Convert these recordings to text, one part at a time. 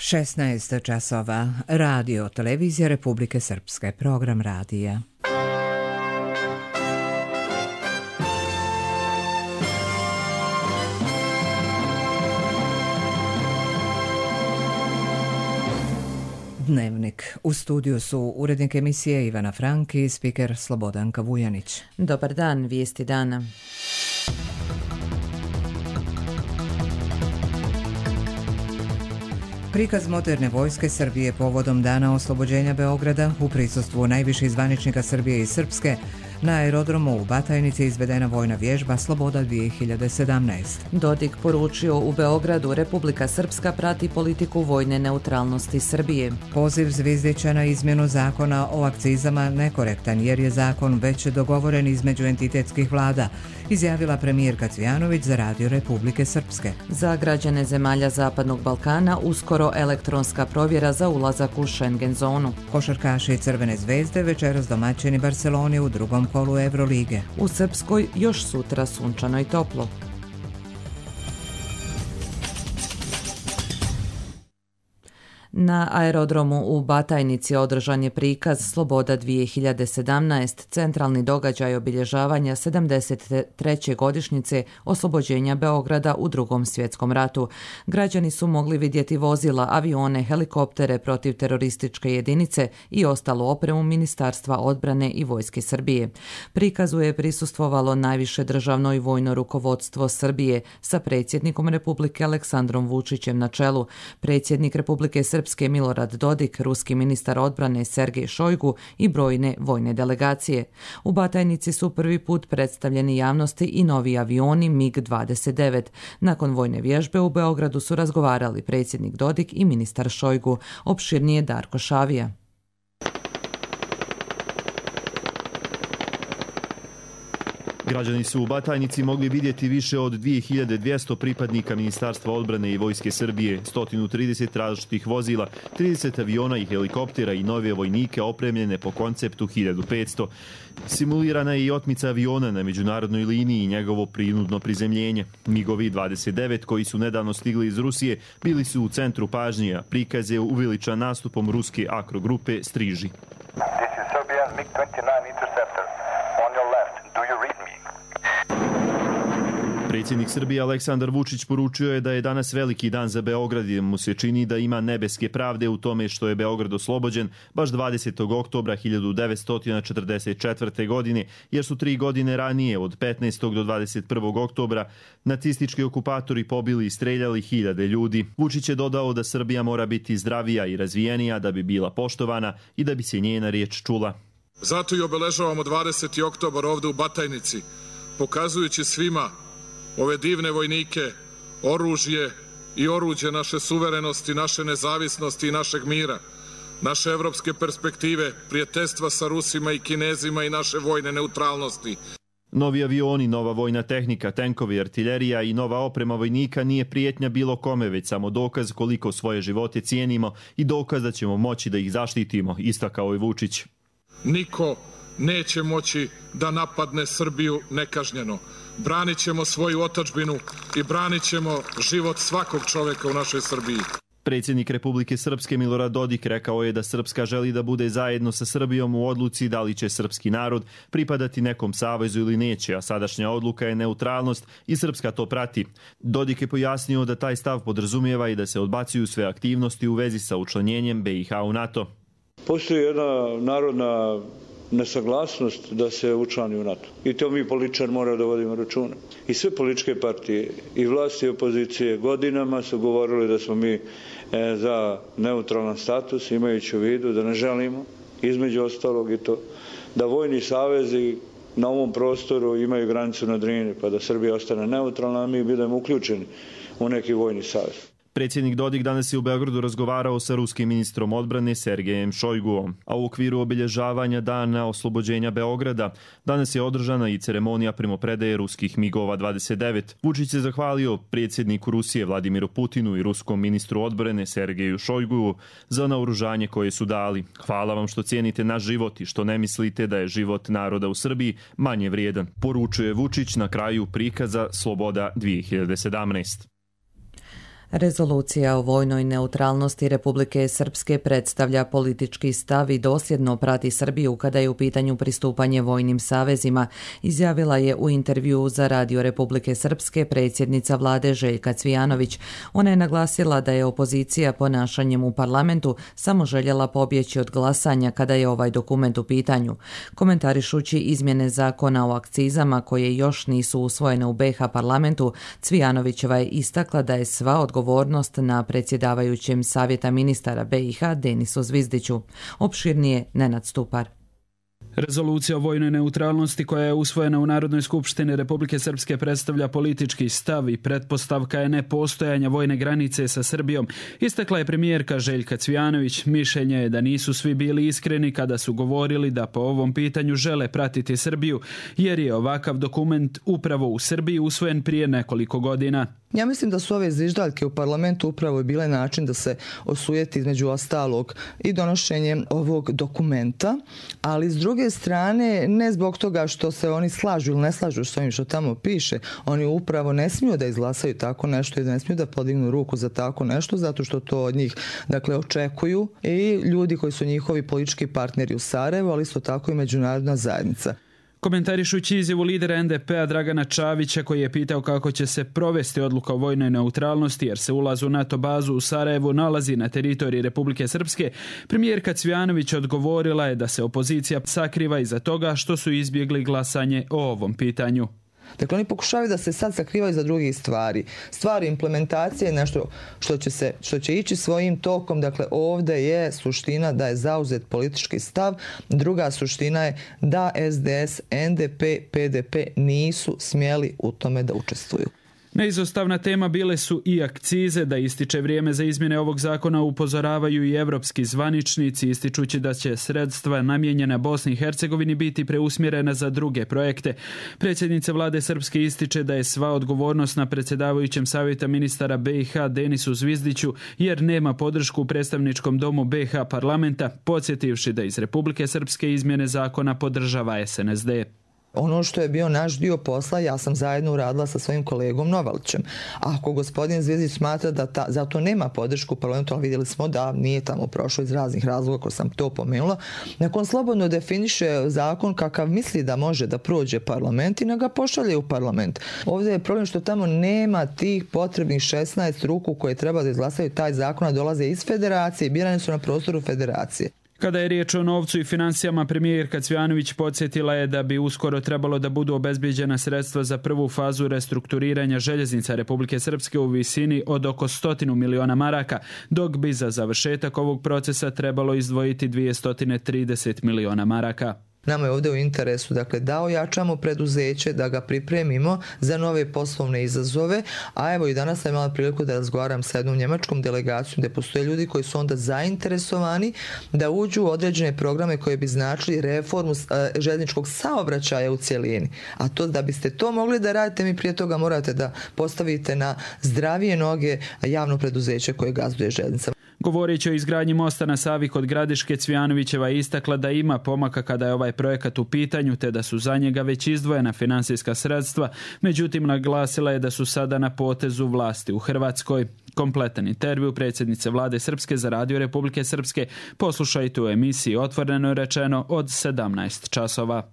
16 časova. Radio Televizija Republike Srpske. Program radija. Dnevnik. U studiju su urednik emisije Ivana Frank i spiker Slobodanka Vujanić. Dobar dan, vijesti dana. Prikaz moderne vojske Srbije povodom Dana oslobođenja Beograda u prisustvu najviših zvaničnika Srbije i Srpske. Na aerodromu u Batajnici izvedena vojna vježba Sloboda 2017. Dodik poručio u Beogradu Republika Srpska prati politiku vojne neutralnosti Srbije. Poziv Zvizdića na izmjenu zakona o akcizama nekorektan jer je zakon već dogovoren između entitetskih vlada, izjavila premijerka Cvijanović za Radio Republike Srpske. Za građane zemalja Zapadnog Balkana uskoro elektronska provjera za ulazak u Schengen zonu. Košarkaši Crvene zvezde večeras domaćini Barceloni u drugom kolu Evrolige. U Srpskoj još sutra sunčano i toplo. Na aerodromu u Batajnici održan je prikaz Sloboda 2017, centralni događaj obilježavanja 73. godišnjice oslobođenja Beograda u Drugom svjetskom ratu. Građani su mogli vidjeti vozila, avione, helikoptere protiv terorističke jedinice i ostalu opremu Ministarstva odbrane i Vojske Srbije. Prikazu je prisustvovalo najviše državno i vojno rukovodstvo Srbije sa predsjednikom Republike Aleksandrom Vučićem na čelu, predsjednik Republike Srpske Milorad Dodik, ruski ministar odbrane Sergej Šojgu i brojne vojne delegacije. U Batajnici su prvi put predstavljeni javnosti i novi avioni MiG-29. Nakon vojne vježbe u Beogradu su razgovarali predsjednik Dodik i ministar Šojgu. Opširnije Darko Šavija. Građani su u Batajnici mogli vidjeti više od 2200 pripadnika Ministarstva odbrane i Vojske Srbije, 130 različitih vozila, 30 aviona i helikoptera i nove vojnike opremljene po konceptu 1500. Simulirana je i otmica aviona na međunarodnoj liniji i njegovo prinudno prizemljenje. MiG-ovi 29 koji su nedavno stigli iz Rusije bili su u centru pažnje, a prikaz je uveličan nastupom ruske akrogrupe Striži. This is Serbian MiG-29 interceptor. On your left. Do you read me? Predsjednik Srbije Aleksandar Vučić poručio je da je danas veliki dan za Beograd i mu se čini da ima nebeske pravde u tome što je Beograd oslobođen baš 20. oktobra 1944. godine, jer su 3 godine ranije od 15. do 21. oktobra nacistički okupatori pobili i streljali hiljade ljudi. Vučić je dodao da Srbija mora biti zdravija i razvijenija da bi bila poštovana i da bi se njena riječ čula. Zato i obeležavamo 20. oktobar ovdje u Batajnici, pokazujući svima ove divne vojnike, oružje i oruđe naše suverenosti, naše nezavisnosti i našeg mira, naše evropske perspektive, prijateljstva sa Rusima i Kinezima i naše vojne neutralnosti. Novi avioni, nova vojna tehnika, tenkovi, artiljerija i nova oprema vojnika nije prijetnja bilo kome, već samo dokaz koliko svoje živote cijenimo i dokaz da ćemo moći da ih zaštitimo, istakao je Vučić. Niko neće moći da napadne Srbiju nekažnjeno. Branit ćemo svoju otadžbinu i branit ćemo život svakog čovjeka u našoj Srbiji. Predsjednik Republike Srpske Milorad Dodik rekao je da Srpska želi da bude zajedno sa Srbijom u odluci da li će srpski narod pripadati nekom savezu ili neće, a sadašnja odluka je neutralnost i Srpska to prati. Dodik je pojasnio da taj stav podrazumijeva i da se odbacuju sve aktivnosti u vezi sa učlanjenjem BiH u NATO. Postoji jedna narodna nesaglasnost da se učlani u NATO. I to mi političari moramo da vodimo računa. I sve političke partije, i vlasti i opozicije godinama su govorili da smo mi za neutralan status, imajući u vidu da ne želimo, između ostalog i to, da vojni savezi na ovom prostoru imaju granicu na Drini, pa da Srbija ostane neutralna, a mi budemo uključeni u neki vojni savez. Predsjednik Dodik danas je u Beogradu razgovarao sa ruskim ministrom odbrane Sergejem Šojguom, a u okviru obilježavanja Dana oslobođenja Beograda danas je održana i ceremonija primopredaje ruskih MiG-ova 29. Vučić je zahvalio predsjedniku Rusije Vladimiru Putinu i ruskom ministru odbrane Sergeju Šojgu za naoružanje koje su dali. Hvala vam što cijenite naš život i što ne mislite da je život naroda u Srbiji manje vrijedan, poručuje Vučić na kraju prikaza Sloboda 2017. Rezolucija o vojnoj neutralnosti Republike Srpske predstavlja politički stav i dosljedno prati Srbiju kada je u pitanju pristupanje vojnim savezima, izjavila je u intervjuu za Radio Republike Srpske predsjednica vlade Željka Cvijanović. Ona je naglasila da je opozicija ponašanjem u parlamentu samo željela pobjeći od glasanja kada je ovaj dokument u pitanju. Komentarišući izmjene zakona o akcizama koje još nisu usvojene u BiH parlamentu, Cvijanovićeva je istakla da je sva odgovornost na predsjedavajućem Savjeta ministara BiH Denisu Zvizdiću. Opširnije Nenad Stupar. Rezolucija o vojnoj neutralnosti koja je usvojena u Narodnoj skupštini Republike Srpske predstavlja politički stav i pretpostavka je nepostojanja vojne granice sa Srbijom. Istakla je premijerka Željka Cvijanović. Mišljenje je da nisu svi bili iskreni kada su govorili da po ovom pitanju žele pratiti Srbiju, jer je ovakav dokument upravo u Srbiji usvojen prije nekoliko godina. Ja mislim da su ove zviždaljke u parlamentu upravo bile način da se osujeti između ostalog i donošenje ovog dokumenta, ali s druge strane ne zbog toga što se oni slažu ili ne slažu s ovim što tamo piše, oni upravo ne smiju da izglasaju tako nešto i da ne smiju da podignu ruku za tako nešto zato što to od njih očekuju i ljudi koji su njihovi politički partneri u Sarajevu, ali isto tako i međunarodna zajednica. Komentarišući izjavu lidera NDP-a Dragana Čavića koji je pitao kako će se provesti odluka o vojnoj neutralnosti jer se ulaz u NATO bazu u Sarajevu nalazi na teritoriji Republike Srpske, premijerka Cvijanović odgovorila je da se opozicija sakriva iza toga što su izbjegli glasanje o ovom pitanju. Dakle, oni pokušavaju da se sad sakrivaju za drugih stvari. Stvari implementacije je nešto što će ići svojim tokom. Dakle, ovdje je suština da je zauzet politički stav. Druga suština je da SDS, NDP, PDP nisu smjeli u tome da učestvuju. Neizostavna tema bile su i akcize. Da ističe vrijeme za izmjene ovog zakona upozoravaju i evropski zvaničnici, ističući da će sredstva namijenjena Bosni i Hercegovini biti preusmjerena za druge projekte. Predsjednica vlade Srpske ističe da je sva odgovornost na predsjedavajućem Savjeta ministara BiH Denisu Zvizdiću jer nema podršku u predstavničkom domu BiH parlamenta, podsjetivši da iz Republike Srpske izmjene zakona podržava SNSD. Ono što je bio naš dio posla, ja sam zajedno uradila sa svojim kolegom Novalićem. Ako gospodin Zvizdić smatra da zato nema podršku u parlamentu, ali vidjeli smo da nije tamo prošlo iz raznih razloga koji sam to pomenula, nakon slobodno definiše zakon kakav misli da može da prođe parlament i da ga pošalje u parlament. Ovdje je problem što tamo nema tih potrebnih 16 ruku koje treba da izglasaju taj zakon, a dolaze iz federacije i birane su na prostoru federacije. Kada je riječ o novcu i financijama, premijerka Cvijanović podsjetila je da bi uskoro trebalo da budu obezbijeđena sredstva za prvu fazu restrukturiranja željeznica Republike Srpske u visini od oko 100 miliona maraka, dok bi za završetak ovog procesa trebalo izdvojiti 230 miliona maraka. Nama je ovdje u interesu da ojačamo preduzeće, da ga pripremimo za nove poslovne izazove, a evo i danas sam imala priliku da razgovaram sa jednom njemačkom delegacijom gdje postoje ljudi koji su onda zainteresovani da uđu u određene programe koje bi značili reformu željezničkog saobraćaja u cjelini. A to da biste to mogli da radite, mi prije toga morate da postavite na zdravije noge javno preduzeće koje gazduje željeznicama. Govoreći o izgradnji mosta na Savi kod Gradiške, Cvijanovićeva je istakla da ima pomaka kada je ovaj projekat u pitanju, te da su za njega već izdvojena financijska sredstva, međutim naglasila je da su sada na potezu vlasti u Hrvatskoj. Kompletan intervju predsjednice vlade Srpske za Radio Republike Srpske poslušajte u emisiji Otvoreno rečeno od 17 časova.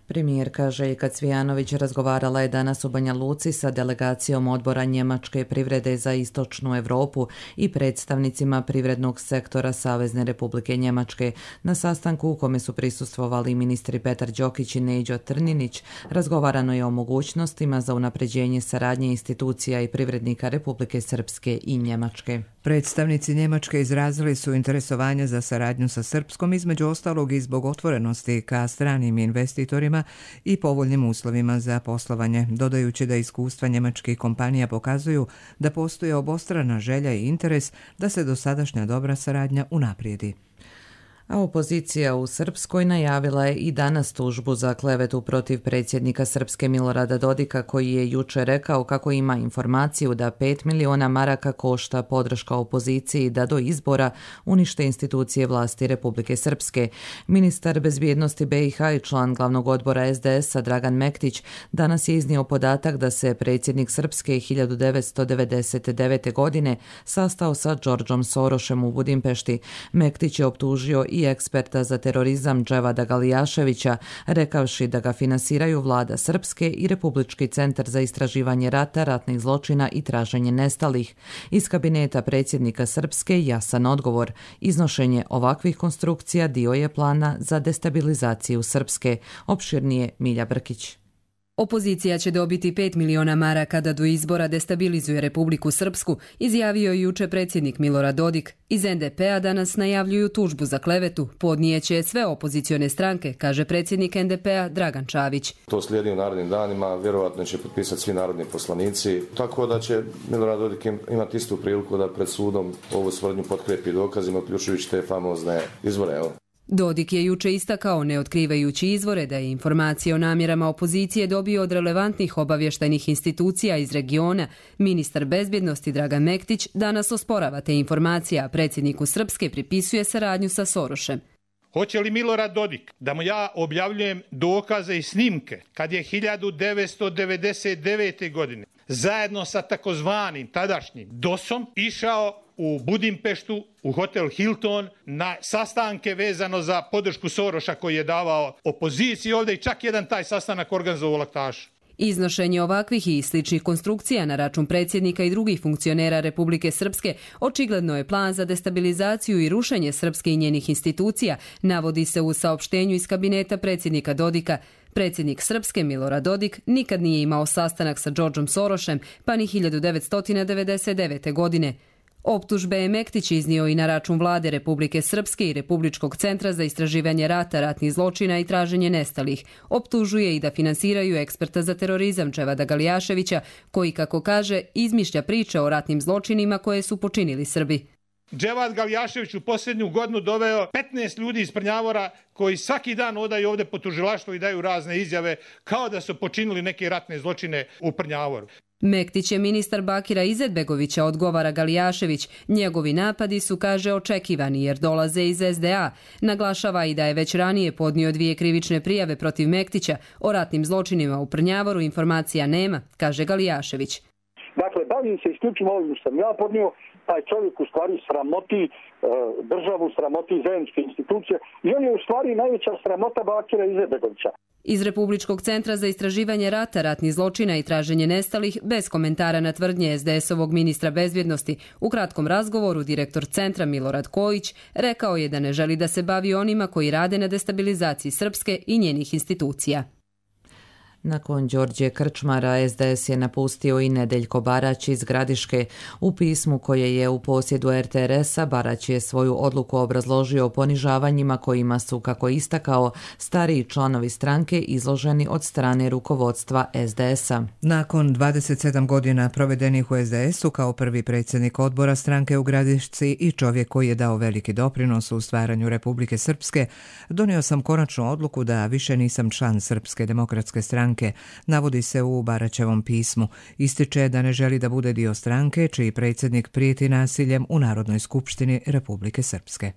Premijerka Željka Cvijanović razgovarala je danas u Banja Luci sa delegacijom odbora Njemačke privrede za istočnu Europu i predstavnicima privrednog sektora Savezne Republike Njemačke. Na sastanku u kome su prisustvovali ministri Petar Đokić i Neđo Trninić, razgovarano je o mogućnostima za unapređenje saradnje institucija i privrednika Republike Srpske i Njemačke. Predstavnici Njemačke izrazili su interesovanje za saradnju sa Srpskom, između ostalog i zbog otvorenosti ka stranim investitorima i povoljnim uslovima za poslovanje, dodajući da iskustva njemačkih kompanija pokazuju da postoji obostrana želja i interes da se dosadašnja dobra saradnja unaprijedi. A opozicija u Srpskoj najavila je i danas tužbu za klevetu protiv predsjednika Srpske Milorada Dodika, koji je jučer rekao kako ima informaciju da 5 miliona maraka košta podrška opoziciji da do izbora unište institucije vlasti Republike Srpske. Ministar bezbjednosti BiH i član glavnog odbora SDS-a Dragan Mektić danas je iznio podatak da se predsjednik Srpske 1999. godine sastao sa Đorđom Sorošem u Budimpešti. Mektić je optužio i eksperta za terorizam Dževada Galijaševića, rekavši da ga finansiraju vlada Srpske i Republički centar za istraživanje rata, ratnih zločina i traženje nestalih. Iz kabineta predsjednika Srpske jasan odgovor. Iznošenje ovakvih konstrukcija dio je plana za destabilizaciju Srpske. Opširnije Milja Brkić. Opozicija će dobiti 5 miliona maraka da do izbora destabilizuje Republiku Srpsku, izjavio je juče predsjednik Milorad Dodik. Iz NDP-a danas najavljuju tužbu za klevetu. Podnijeće sve opozicione stranke, kaže predsjednik NDP-a Dragan Čavić. To slijedi u narednim danima, vjerovatno će potpisati svi narodni poslanici, tako da će Milorad Dodik imati istu priliku da pred sudom ovu tvrdnju potkrijepi dokazima, uključujući te famozne izvore. Dodik je juče istakao, ne otkrivajući izvore, da je informacije o namjerama opozicije dobio od relevantnih obavještajnih institucija iz regiona. Ministar bezbjednosti Dragan Mektić danas osporava te informacije, a predsjedniku Srpske pripisuje saradnju sa Sorošem. Hoće li Milorad Dodik da mu ja objavljujem dokaze i snimke kad je 1999. godine zajedno sa takozvanim tadašnjim DOS-om išao u Budimpeštu, u hotel Hilton, na sastanke vezano za podršku Soroša koji je davao opoziciji ovdje i čak jedan taj sastanak organizovao Laktaš. Iznošenje ovakvih i sličnih konstrukcija na račun predsjednika i drugih funkcionera Republike Srpske očigledno je plan za destabilizaciju i rušenje Srpske i njenih institucija, navodi se u saopštenju iz kabineta predsjednika Dodika. Predsjednik Srpske Milorad Dodik nikad nije imao sastanak sa Đorđom Sorošem, pa ni 1999. godine. Optužbe je Mektić iznio i na račun vlade Republike Srpske i Republičkog centra za istraživanje rata, ratnih zločina i traženje nestalih. Optužuje i da finansiraju eksperta za terorizam Dževada Galijaševića, koji, kako kaže, izmišlja priče o ratnim zločinima koje su počinili Srbi. Dževad Galijašević u posljednju godinu doveo 15 ljudi iz Prnjavora koji svaki dan odaju ovdje po tužilaštvu i daju razne izjave kao da su počinili neke ratne zločine u Prnjavoru. Mektić je ministar Bakira Izetbegovića, odgovara Galijašević. Njegovi napadi su, kaže, očekivani jer dolaze iz SDA. Naglašava i da je već ranije podnio 2 krivične prijave protiv Mektića. O ratnim zločinima u Prnjavoru informacija nema, kaže Galijašević. Dakle, bavim se isključivo ovim što sam ja podnio. Taj čovjek u stvari sramoti državu, sramoti zajedničke institucije i on je u stvari najveća sramota Bakira Izetbegovića. Iz Republičkog centra za istraživanje rata, ratnih zločina i traženje nestalih, bez komentara na tvrdnje SDS-ovog ministra bezbjednosti, u kratkom razgovoru direktor centra Milorad Kojić rekao je da ne želi da se bavi onima koji rade na destabilizaciji Srpske i njenih institucija. Nakon Đorđe Krčmara, SDS je napustio i Nedeljko Barać iz Gradiške. U pismu koje je u posjedu RTRS-a, Barać je svoju odluku obrazložio ponižavanjima kojima su, kako istakao, stariji članovi stranke izloženi od strane rukovodstva SDS-a. Nakon 27 godina provedenih u SDS-u kao prvi predsjednik odbora stranke u Gradišci i čovjek koji je dao veliki doprinos u stvaranju Republike Srpske, donio sam konačnu odluku da više nisam član Srpske demokratske stranke, navodi se u Baraćevom pismu. Ističe da ne želi da bude dio stranke čiji predsjednik prijeti nasiljem u Narodnoj skupštini Republike Srpske.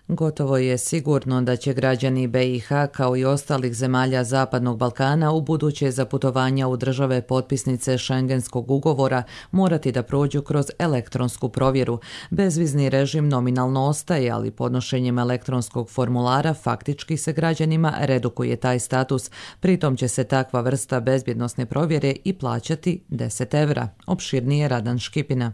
Gotovo je sigurno da će građani BiH kao i ostalih zemalja Zapadnog Balkana u buduće za putovanja u države potpisnice Schengenskog ugovora morati da prođu kroz elektronsku provjeru. Bezvizni režim nominalno ostaje, ali podnošenjem elektronskog formulara faktički se građanima redukuje taj status. Pritom će se takva vrsta bezbjednosne provjere i plaćati 10 evra. Opširnije Radan Škipina.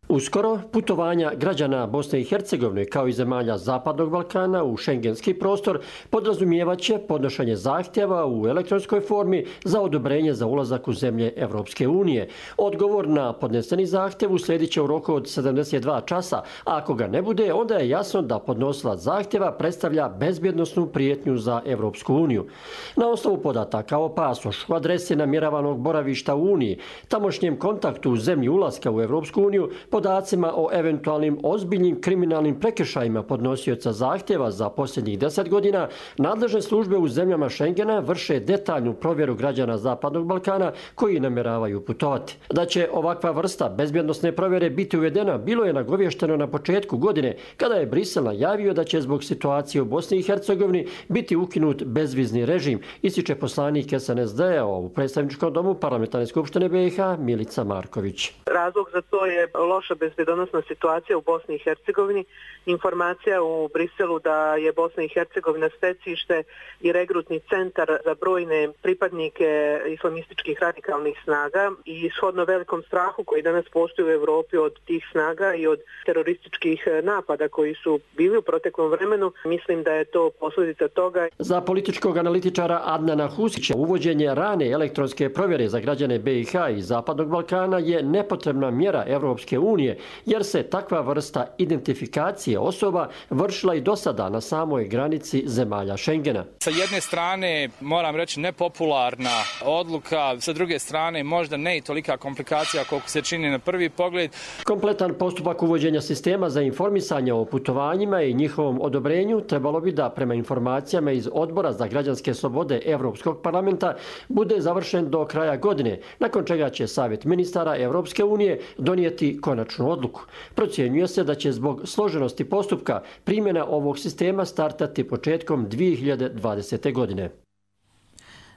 Uskoro putovanja građana Bosne i Hercegovine kao i zemalja Zapadnog Balkana u šengenski prostor podrazumijevat će podnošenje zahtjeva u elektronskoj formi za odobrenje za ulazak u zemlje Evropske unije. Odgovor na podneseni zahtjev uslijedit će u roku od 72 časa, a ako ga ne bude, onda je jasno da podnosilac zahtjeva predstavlja bezbjednosnu prijetnju za Evropsku uniju. Na osnovu podataka o pasošu, adrese namjeravanog boravišta u Uniji, tamošnjem kontaktu u zemlji ulaska u Evropsku uniju, podacima o eventualnim ozbiljnim kriminalnim prekršajima podnosioca zahtjeva za posljednjih 10 godina, nadležne službe u zemljama Schengena vrše detaljnu provjeru građana Zapadnog Balkana koji namjeravaju putovati. Da će ovakva vrsta bezbjednosne provjere biti uvedena bilo je nagovješteno na početku godine kada je Brisel najavio da će zbog situacije u Bosni i Hercegovini biti ukinut bezvizni režim, ističe poslanik SNSD-a u predstavničkom domu Parlamentarne skupštine BiH Milica Marković. Razlog za to je loša bezbjednosna situacija u Bosni i Hercegovini. Informacija u Briselu da je Bosna i Hercegovina stecište i regrutni centar za brojne pripadnike islamističkih radikalnih snaga i shodno velikom strahu koji danas postoji u Europi od tih snaga i od terorističkih napada koji su bili u proteklom vremenu, mislim da je to posljedica toga. Za političkog analitičara Adnana Husića uvođenje rane elektronske provjere za građane BiH i Zapadnog Balkana je nepotrebna mjera Europske unije, jer se takva vrsta identifikacije osoba vršila i do sada na samoj granici zemalja Schengena. Sa jedne strane, moram reći, nepopularna odluka, sa druge strane možda ne i tolika komplikacija koliko se čini na prvi pogled. Kompletan postupak uvođenja sistema za informisanje o putovanjima i njihovom odobrenju trebalo bi da, prema informacijama iz Odbora za građanske slobode Europskog parlamenta, bude završen do kraja godine, nakon čega će Savjet ministara Europske unije donijeti konačnu odluku. Procjenjuje se da će zbog složenosti postupka primjena ovog sistema startati početkom 2020. godine.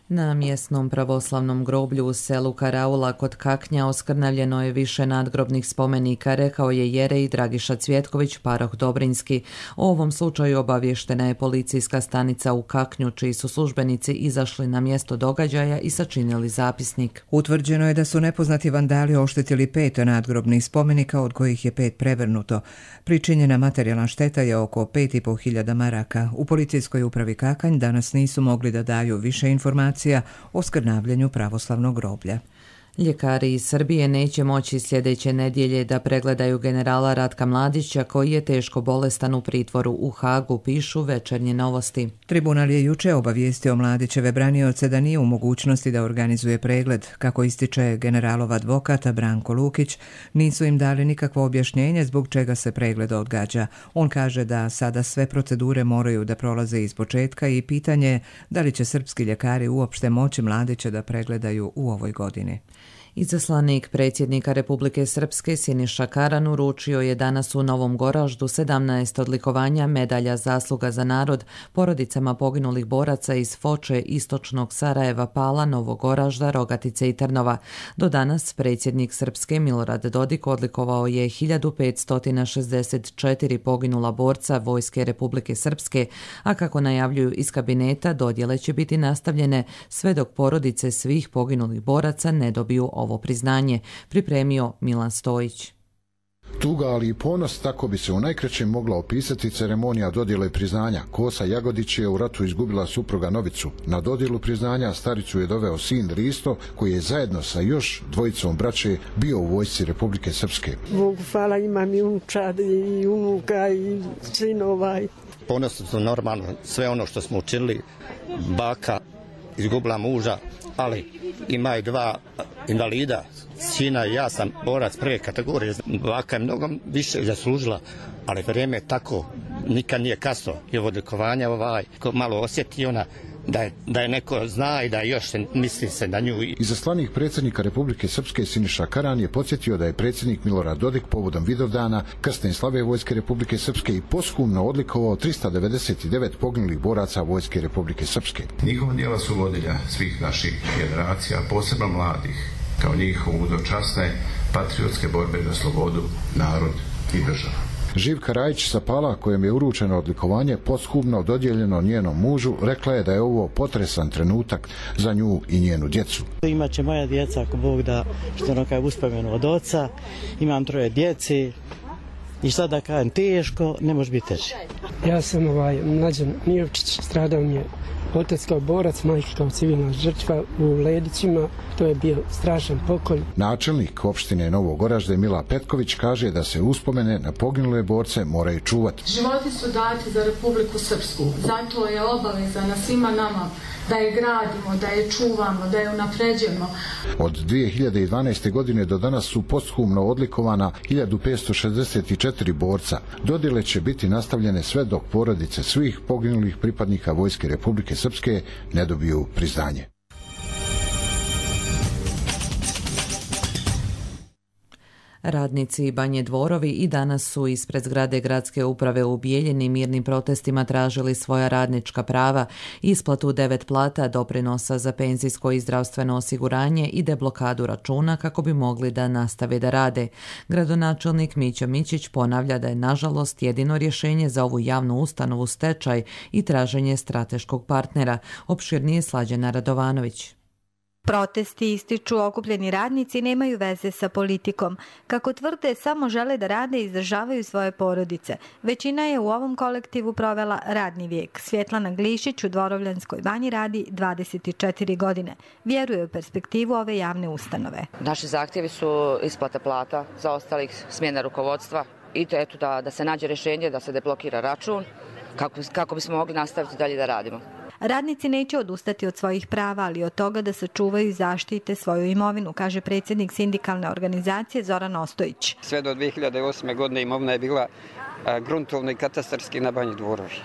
Na mjesnom pravoslavnom groblju u selu Karaula kod Kaknja oskrnavljeno je više nadgrobnih spomenika, rekao je jerej Dragiša Cvjetković, paroh Dobrinski. O ovom slučaju obavještena je policijska stanica u Kaknju, čiji su službenici izašli na mjesto događaja i sačinili zapisnik. Utvrđeno je da su nepoznati vandali oštetili 5 nadgrobnih spomenika, od kojih je 5 prevrnuto. Pričinjena materijalna šteta je oko 5.500 maraka. U policijskoj upravi Kakanj danas nisu mogli da daju više informacija o skrnavljenju pravoslavnog groblja. Ljekari iz Srbije neće moći sljedeće nedjelje da pregledaju generala Ratka Mladića, koji je teško bolestan u pritvoru u Hagu, pišu Večernje novosti. Tribunal je juče obavijestio Mladićeve branioce da nije u mogućnosti da organizuje pregled. Kako ističe generalov advokat Branko Lukić, nisu im dali nikakvo objašnjenje zbog čega se pregled odgađa. On kaže da sada sve procedure moraju da prolaze iz početka i pitanje je da li će srpski ljekari uopšte moći Mladića da pregledaju u ovoj godini. Izaslanik predsjednika Republike Srpske Siniša Karan uručio je danas u Novom Goraždu 17 odlikovanja medalja zasluga za narod porodicama poginulih boraca iz Foče, istočnog Sarajeva, Pala, Novog Goražda, Rogatice i Trnova. Do danas predsjednik Srpske Milorad Dodik odlikovao je 1564 poginula borca Vojske Republike Srpske, a kako najavljuju iz kabineta, dodjele će biti nastavljene sve dok porodice svih poginulih boraca ne dobiju ovo priznanje, pripremio Milan Stojić. Tuga, ali i ponos, tako bi se u najkraćem mogla opisati ceremonija dodjele priznanja. Kosa Jagodić je u ratu izgubila supruga Novicu. Na dodjelu priznanja staricu je doveo sin Risto, koji je zajedno sa još dvojicom braće bio u vojsci Republike Srpske. Bogu hvala, imam i unučad i unuka i sinova. Ponosno su normalno sve ono što smo učinili. Baka izgubila muža, ali ima i 2 invalida, sina i ja sam borac prve kategorije. Baka je mnogo više zaslužila, ali vrijeme je tako, nikad nije kasno. I ovo odlikovanje ko malo osjeti ona da je neko zna i da još misli se na nju. Izaslanik predsjednika Republike Srpske Siniša Karan je podsjetio da je predsjednik Milorad Dodik povodom Vidovdana krsne slave Vojske Republike Srpske i posthumno odlikovao 399 poginulih boraca Vojske Republike Srpske. Njihova djela su vodilja svih naših generacija, posebno mladih, kao njihovu dočasne patriotske borbe za slobodu, narod i državu. Živka Rajić sa Pala, kojem je uručeno odlikovanje posthumno dodijeljeno njenom mužu, rekla je da je ovo potresan trenutak za nju i njenu djecu. Imaće moja djeca, ako Bog da, što ono kaj uspomenu od oca, imam 3 djece i šta da kažem, teško, ne može biti teže. Ja sam Mlađan Mijovčić, stradao mi je Otac kao borac, majka kao civilna žrtva u Ledićima, to je bio strašan pokolj. Načelnik opštine Novog Oražde Mila Petković kaže da se uspomene na poginule borce moraju čuvati. Životi su dati za Republiku Srpsku, zato je obaveza na svima nama da je gradimo, da je čuvamo, da je unapređujemo. Od 2012. godine do danas su posthumno odlikovana 1564 borca. Dodjele će biti nastavljene sve dok porodice svih poginulih pripadnika Vojske Republike Srpske ne dobiju priznanje. Radnici Banje Dvorovi i danas su ispred zgrade gradske uprave u Bijeljini mirnim protestima tražili svoja radnička prava, isplatu 9 plata, doprinosa za penzijsko i zdravstveno osiguranje i deblokadu računa kako bi mogli da nastave da rade. Gradonačelnik Mićo Mićić ponavlja da je nažalost jedino rješenje za ovu javnu ustanovu stečaj i traženje strateškog partnera. Opširnije Slađana Radovanović. Protesti ističu okupljeni radnici nemaju veze sa politikom. Kako tvrde, samo žele da rade i izdržavaju svoje porodice. Većina je u ovom kolektivu provela radni vijek. Svjetlana Glišić u Dvorovljanskoj banji radi 24 godine. Vjeruje u perspektivu ove javne ustanove. Naši zahtjevi su isplata plata, zaostalih smjena rukovodstva i to eto da se nađe rješenje, da se deblokira račun kako bismo mogli nastaviti dalje da radimo. Radnici neće odustati od svojih prava, ali od toga da sačuvaju i zaštite svoju imovinu, kaže predsjednik sindikalne organizacije Zoran Ostojić. Sve do 2008. godine imovina je bila gruntovno i katastarski na Banji Dvorovi.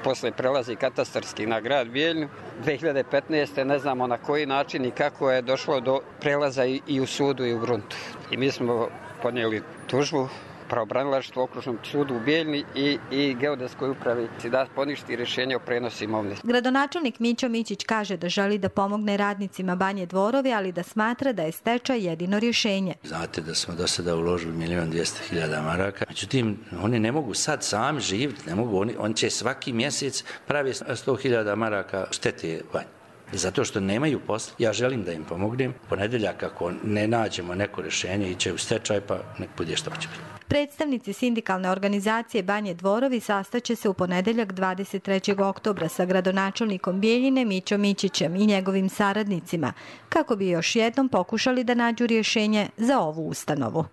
Posle prelazi katastarski na grad Bijeljinu. 2015. ne znamo na koji način i kako je došlo do prelaza i u sudu i u gruntu. I mi smo podnijeli tužbu pravobranilaštvu okružnom sudu u Bijeljini i geodetskoj upravi da poništi rješenje o prenosu imovine. Gradonačelnik Mićo Mićić kaže da želi da pomogne radnicima Banje Dvorovi, ali da smatra da je stečaj jedino rješenje. Znate da smo do sada uložili 1.200.000 maraka. Međutim, oni ne mogu sad sami živjeti, ne mogu, oni će svaki mjesec pravi 100.000 maraka štete Banji. Zato što nemaju posla, ja želim da im pomognem. Ponedjeljak ako ne nađemo neko rješenje iće u stečaj, pa nek bude što će biti. Predstavnici sindikalne organizacije Banje Dvorovi sastaće se u ponedjeljak 23. oktobra sa gradonačelnikom Bijeljine Mićom Mićićem i njegovim saradnicima, kako bi još jednom pokušali da nađu rješenje za ovu ustanovu.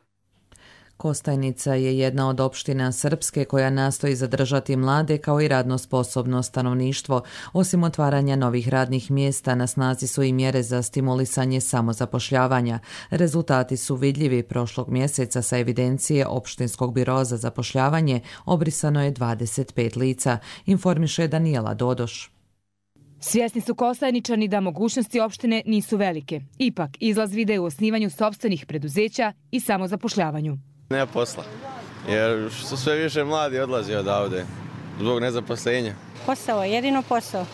Kostajnica je jedna od opština Srpske koja nastoji zadržati mlade kao i radno sposobno stanovništvo. Osim otvaranja novih radnih mjesta, na snazi su i mjere za stimulisanje samozapošljavanja. Rezultati su vidljivi. Prošlog mjeseca sa evidencije Opštinskog biroa za zapošljavanje obrisano je 25 lica, informiše Danijela Dodoš. Svjesni su Kostajničani da mogućnosti opštine nisu velike. Ipak, izlaz vide u osnivanju sopstvenih preduzeća i samozapošljavanju. Nema posla, jer što sve više mladi odlazi odavde zbog nezaposlenja. Posao, jedino posao,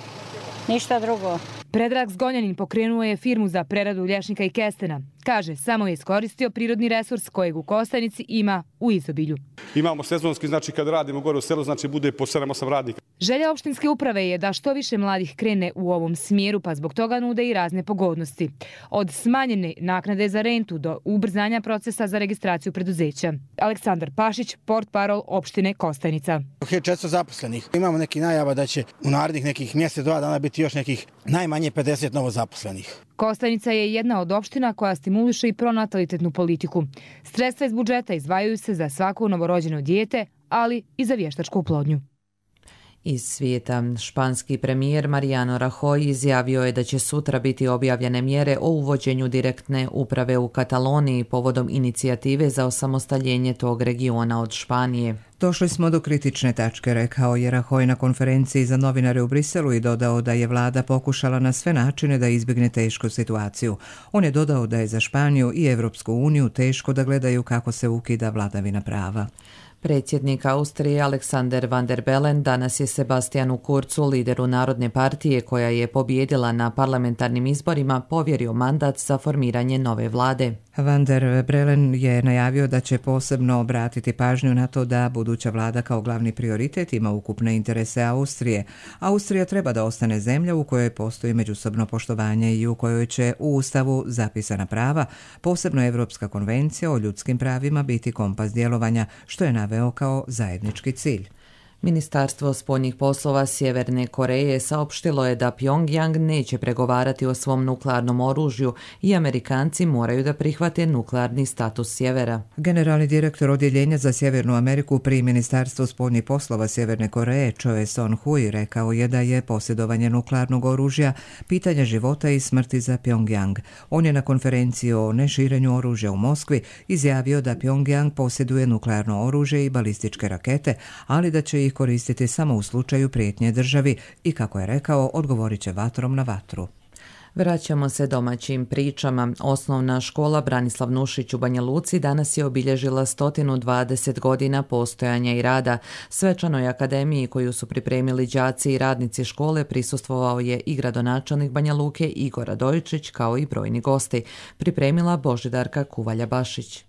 ništa drugo. Predrag Zgonjanin pokrenuo je firmu za preradu lješnika i kestena. Kaže, samo je iskoristio prirodni resurs kojeg u Kostajnici ima u izobilju. Imamo sezonski, znači kad radimo gore u selu, znači bude po 7-8 radnika. Želja opštinske uprave je da što više mladih krene u ovom smjeru, pa zbog toga nude i razne pogodnosti. Od smanjene naknade za rentu do ubrzanja procesa za registraciju preduzeća. Aleksandar Pašić, portparol opštine Kostajnica. 400 zaposlenih. Imamo neki najava da će u narednih nekih mjesec, 2 dana biti još nekih najmanje 50 novo zaposlenih. Kostajnica je jedna od opština koja stimuliše i pronatalitetnu politiku. Sredstva iz budžeta izdvajaju se za svako novorođeno dijete, ali i za vještačku oplodnju. Iz svijeta, španski premijer Mariano Rajoy izjavio je da će sutra biti objavljene mjere o uvođenju direktne uprave u Kataloniji povodom inicijative za osamostaljenje tog regiona od Španije. Došli smo do kritične tačke, rekao je Rajoy na konferenciji za novinare u Briselu i dodao da je vlada pokušala na sve načine da izbjegne tešku situaciju. On je dodao da je za Španiju i Evropsku uniju teško da gledaju kako se ukida vladavina prava. Predsjednik Austrije Alexander Van der Bellen danas je Sebastianu Kurzu, lideru Narodne partije koja je pobjedila na parlamentarnim izborima, povjerio mandat za formiranje nove vlade. Van der Bellen je najavio da će posebno obratiti pažnju na to da buduća vlada kao glavni prioritet ima ukupne interese Austrije. Austrija treba da ostane zemlja u kojoj postoji međusobno poštovanje i u kojoj će u Ustavu zapisana prava, posebno Evropska konvencija o ljudskim pravima, biti kompas djelovanja, što je naveo kao zajednički cilj. Ministarstvo spoljnih poslova Sjeverne Koreje saopštilo je da Pjongjang neće pregovarati o svom nuklearnom oružju i Amerikanci moraju da prihvate nuklearni status sjevera. Generalni direktor Odjeljenja za Sjevernu Ameriku pri Ministarstvu spoljnih poslova Sjeverne Koreje Choe Son-hui rekao je da je posjedovanje nuklearnog oružja pitanje života i smrti za Pjongjang. On je na konferenciji o neširenju oružja u Moskvi izjavio da Pjongjang posjeduje nuklearno oružje i balističke rakete, ali da će ih koristiti samo u slučaju prijetnje državi i, kako je rekao, odgovorit će vatrom na vatru. Vraćamo se domaćim pričama. Osnovna škola Branislav Nušić u Banja Luci danas je obilježila 120 godina postojanja i rada. Svečanoj akademiji koju su pripremili đaci i radnici škole prisustvovao je i gradonačelnik Banja Luke Igor Radojičić kao i brojni gosti. Pripremila Božidarka Kuvalja-Bašić.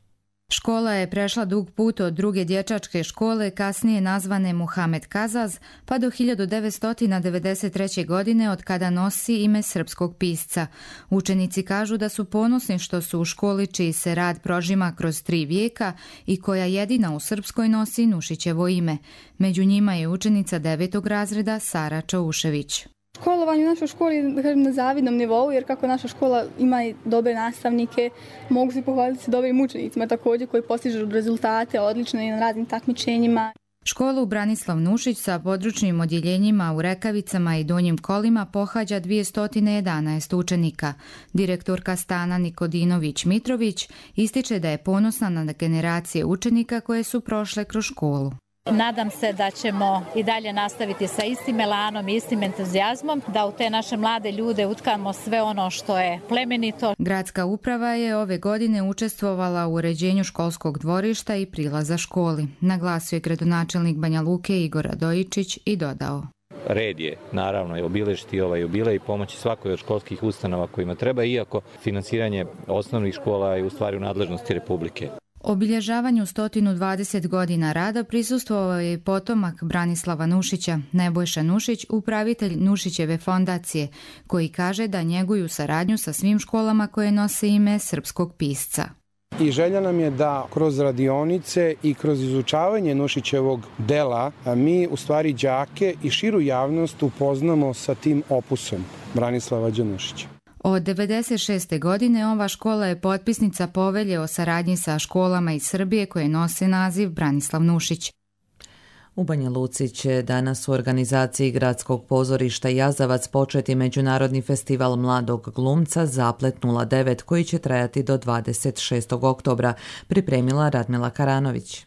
Škola je prešla dug put od druge dječačke škole, kasnije nazvane Muhamed Kazaz, pa do 1993. godine od kada nosi ime srpskog pisca. Učenici kažu da su ponosni što su u školi čiji se rad prožima kroz 3 vijeka i koja jedina u Srpskoj nosi Nušićevo ime. Među njima je učenica 9. razreda Sara Čaušević. Školovanje u našoj školi je, da kažem, na zavidnom nivou, jer kako naša škola ima i dobre nastavnike, mogu se pohvaliti se dobrim učenicima također koji postižu rezultate odlične i na raznim takmičenjima. Školu Branislav Nušić sa područnim odjeljenjima u Rekavicama i Donjim Kolima pohađa 211 učenika. Direktorka Stana Nikodinović-Mitrović ističe da je ponosna na generacije učenika koje su prošle kroz školu. Nadam se da ćemo i dalje nastaviti sa istim elanom i istim entuzijazmom, da u te naše mlade ljude utkamo sve ono što je plemenito. Gradska uprava je ove godine učestvovala u uređenju školskog dvorišta i prilaza školi. Naglasio je gradonačelnik Banja Luke Igor Radojičić i dodao: Red je, naravno, obilježiti ovaj jubilej i pomoći svakoj od školskih ustanova kojima treba, iako finansiranje osnovnih škola je u stvari u nadležnosti Republike. Obilježavanju 120 godina rada prisustvovao je potomak Branislava Nušića, Nebojša Nušić, upravitelj Nušićeve fondacije, koji kaže da njeguju saradnju sa svim školama koje nose ime srpskog pisca. I želja nam je da kroz radionice i kroz izučavanje Nušićevog dela mi u stvari đake i širu javnost upoznamo sa tim opusom Branislava Nušića. Od 1996. godine ova škola je potpisnica povelje o saradnji sa školama iz Srbije koje nose naziv Branislav Nušić. U Banja Luci će danas u organizaciji Gradskog pozorišta Jazavac početi Međunarodni festival mladog glumca Zaplet 09 koji će trajati do 26. oktobra, pripremila Radmila Karanović.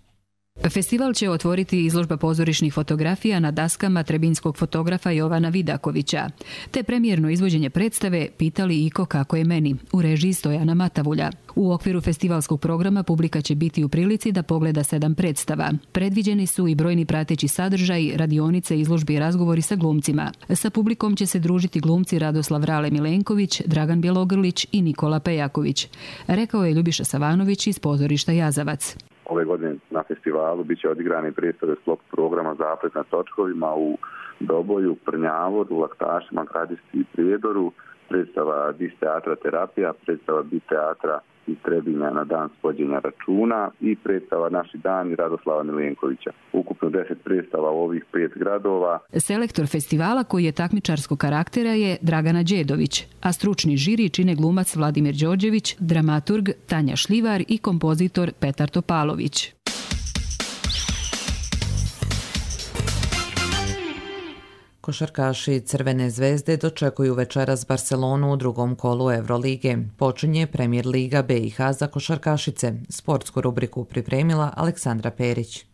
Festival će otvoriti izložba pozorišnih fotografija na daskama trebinskog fotografa Jovana Vidakovića, te premijerno izvođenje predstave Pitali Iko kako je meni, u režiji Stojana Matavulja. U okviru festivalskog programa publika će biti u prilici da pogleda 7 predstava. Predviđeni su i brojni prateći sadržaj, radionice, izložbe i razgovori sa glumcima. Sa publikom će se družiti glumci Radoslav Rale Milenković, Dragan Bjelogrlić i Nikola Pejaković, rekao je Ljubiša Savanović iz pozorišta Jazavac. Ove godine na festivalu biće odigrani predstave sklop programa Zaplet na točkovima u Doboju, Prnjavoru, Laktašima, Gradišti i Prijedoru, predstava Dis teatra terapija, predstava Bit teatra iz Trebinja na dan svođenja računa i predstava Naši dani Radoslava Milenkovića. Ukupno 10 predstava u ovih 5 gradova. Selektor festivala koji je takmičarskog karaktera je Dragana Đedović, a stručni žiri čine glumac Vladimir Đorđević, dramaturg Tanja Šljivar i kompozitor Petar Topalović. Košarkaši Crvene zvezde dočekuju večeras Barcelonu u drugom kolu Evrolige. Počinje Premier Liga BiH za košarkašice. Sportsku rubriku pripremila Aleksandra Perić.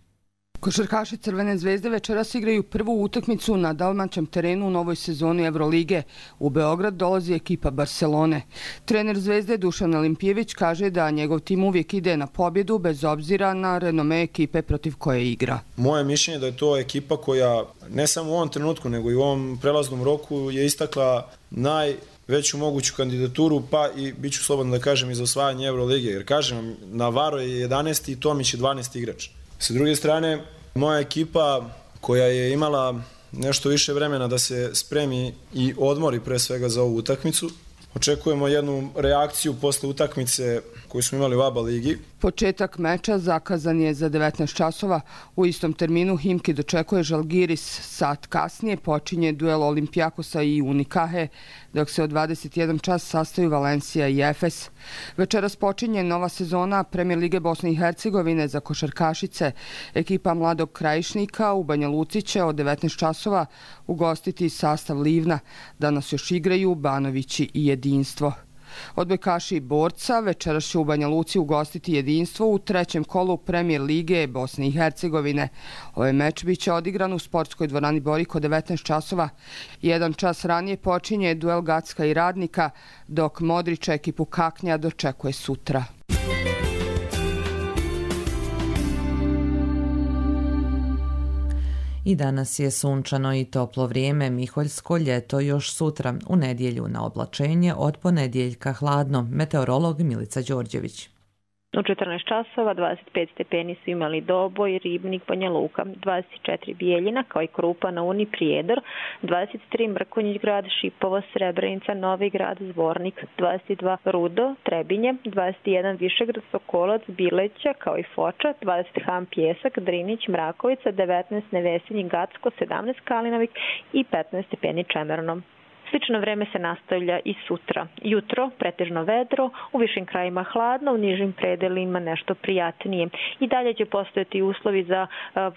Košarkaši Crvene zvezde večeras igraju prvu utakmicu na domaćem terenu u novoj sezoni Evrolige. U Beograd dolazi ekipa Barcelone. Trener Zvezde Dušan Olimpijević kaže da njegov tim uvijek ide na pobjedu bez obzira na renome ekipe protiv koje igra. Moje mišljenje je da je to ekipa koja ne samo u ovom trenutku nego i u ovom prelaznom roku je istakla najveću moguću kandidaturu, pa i bit ću slobodan da kažem i za osvajanje Evrolige. Jer kažem, Navarro je 11. i Tomić je 12. igrač. S druge strane, moja ekipa koja je imala nešto više vremena da se spremi i odmori pre svega za ovu utakmicu, Očekujemo jednu reakciju posle utakmice koju smo imali u ABA ligi. Početak meča zakazan je za 19 časova. U istom terminu Himki dočekuje Žalgiris. Sat kasnije počinje duel Olimpijakosa i Unikahe, dok se od 21 čas sastaju Valencija i Efes. Večeras počinje nova sezona Premijer lige Bosne i Hercegovine za košarkašice. Ekipa Mladog Krajišnika u Banja Luci će od 19 časova ugostiti sastav Livna. Danas još igraju Banovići i Jedinstvo. Odbojkaši i Borca večeras će u Banja Luci ugostiti Jedinstvo u trećem kolu Premijer lige Bosne i Hercegovine. Ovaj meč biće odigran u sportskoj dvorani Boriko 19 časova. 1 čas ranije počinje duel Gacka i Radnika, dok Modrića ekipu Kaknja dočekuje sutra. I danas je sunčano i toplo vrijeme, miholjsko ljeto još sutra, u nedjelju na oblačenje, od ponedjeljka hladno. Meteorolog Milica Đorđević. U 14 časova 25 stepeni su imali Doboj, Ribnik, Banja Luka, 24 Bijeljina kao i Krupa na Uni, Prijedor, 23 Mrkonjić grad, Šipovo, Srebrenica, Novi grad, Zvornik, 22 Rudo, Trebinje, 21 Višegrad, Sokolac, Bileća kao i Foča, 20 Ham, Pjesak, Drinić, Mrakovica, 19 Nevesinji, Gacko, 17 Kalinovik i 15 stepeni Čemernom. Slično vreme se nastavlja i sutra. Jutro pretežno vedro, u višim krajima hladno, u nižim predelima nešto prijatnije. I dalje će postojati uslovi za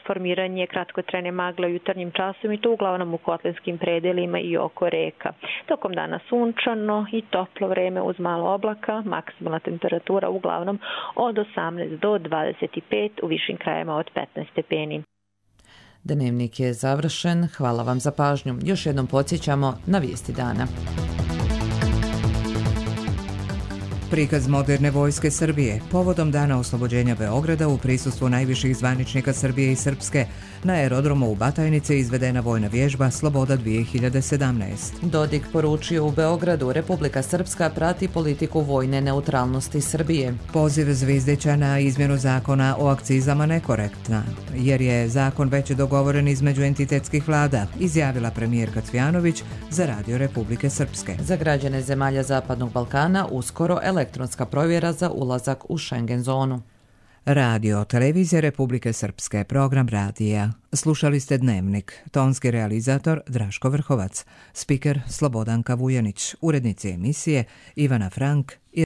formiranje kratkotrajne magle u jutarnjim časovima i to uglavnom u kotlinskim predelima i oko reka. Tokom dana sunčano i toplo vreme uz malo oblaka, maksimalna temperatura uglavnom od 18 do 25, u višim krajima od 15 stepeni. Dnevnik je završen. Hvala vam za pažnju. Još jednom podsjećamo na vijesti dana. Prikaz moderne vojske Srbije povodom Dana oslobođenja Beograda u prisustvu najviših zvaničnika Srbije i Srpske na aerodromu u Batajnici izvedena vojna vježba Sloboda 2017. Dodik poručio u Beogradu, Republika Srpska prati politiku vojne neutralnosti Srbije. Poziv Zvizdića na izmjenu zakona o akcizama nekorektna, jer je zakon već dogovoren između entitetskih vlada, izjavila premijerka Cvjanović za Radio Republike Srpske. Za građane zemalja Zapadnog Balkana uskoro elektronska provjera za ulazak u Schengen zonu. Radio Televizija Republike Srpske, program radija. Slušali ste Dnevnik. Tonski realizator Draško Vrhovac. Spiker Slobodanka Vujanić. Urednici emisije Ivana Frank i